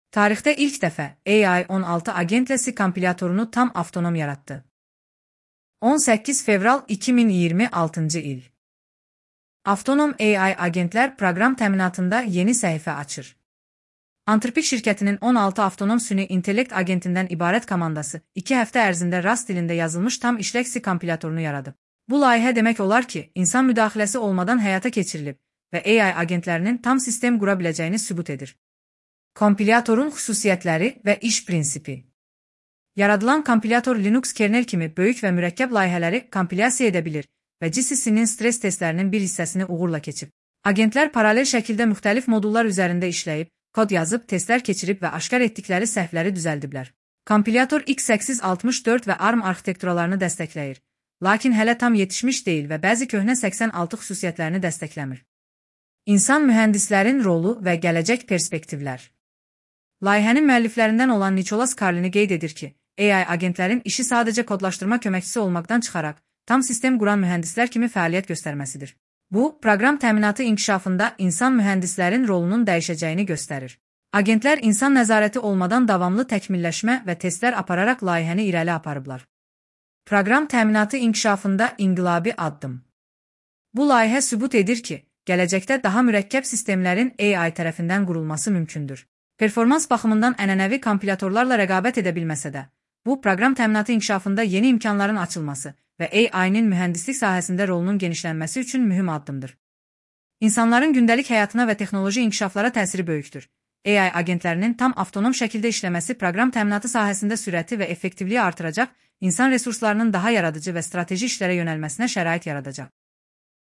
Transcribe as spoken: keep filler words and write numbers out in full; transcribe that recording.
Tarixdə ilk dəfə A I on altı agentlə C kompilatorunu tam avtonom yarattı. on səkkiz fevral iki min iyirmi altıncı il. Avtonom A I agentlər proqram təminatında yeni səhifə açır. Anthropic şirkətinin on altı avtonom süni intellekt agentindən ibarət komandası iki həftə ərzində Rust dilində yazılmış tam işlək C kompilatorunu yaradıb. Bu layihə demək olar ki, insan müdaxiləsi olmadan həyata keçirilib və A I agentlərinin tam sistem qura biləcəyini sübut edir. Kompilatorun xüsusiyyətləri və iş prinsipi. Yaradılan kompilator Linux kernel kimi böyük və mürəkkəb layihələri kompilyasiya edə bilir və G C C'nin stres testlərinin bir hissəsini uğurla keçib. Agentlər paralel şəkildə müxtəlif modullar üzərində işləyib, kod yazıb, testlər keçirib və aşkar etdikləri səhvləri düzəldiblər. Kompilator x səkkiz altmış dörd və ARM arxitekturalarını dəstəkləyir, lakin hələ tam yetişmiş deyil və bəzi köhnə səksən altı xüsusiyyətlərini dəstəkləmir. İnsan mühəndislərin rolu və gələcək perspektivlər. Layihənin müəlliflərindən olan Nicholas Carlini qeyd edir ki, A I agentlərin işi sadəcə kodlaşdırma köməkçisi olmaqdan çıxaraq, tam sistem quran mühəndislər kimi fəaliyyət göstərməsidir. Bu, proqram təminatı inkişafında insan mühəndislərin rolunun dəyişəcəyini göstərir. Agentlər insan nəzarəti olmadan davamlı təkmilləşmə və testlər apararaq layihəni irəli aparıblar. Proqram təminatı inkişafında inqilabi addım. Bu layihə sübut edir ki, gələcəkdə daha mürəkkəb sistemlərin A I tərəfindən qurulması mümkündür. Performans baxımından ənənəvi kompilatorlarla rəqabət edə bilməsə də, bu, proqram təminatı inkişafında yeni imkanların açılması və A I-nin mühəndislik sahəsində rolunun genişlənməsi üçün mühüm addımdır. İnsanların gündəlik həyatına və texnoloji inkişaflara təsiri böyükdür. A I agentlərinin tam avtonom şəkildə işləməsi proqram təminatı sahəsində sürəti və effektivliyi artıracaq, insan resurslarının daha yaradıcı və strateji işlərə yönəlməsinə şərait yaradacaq.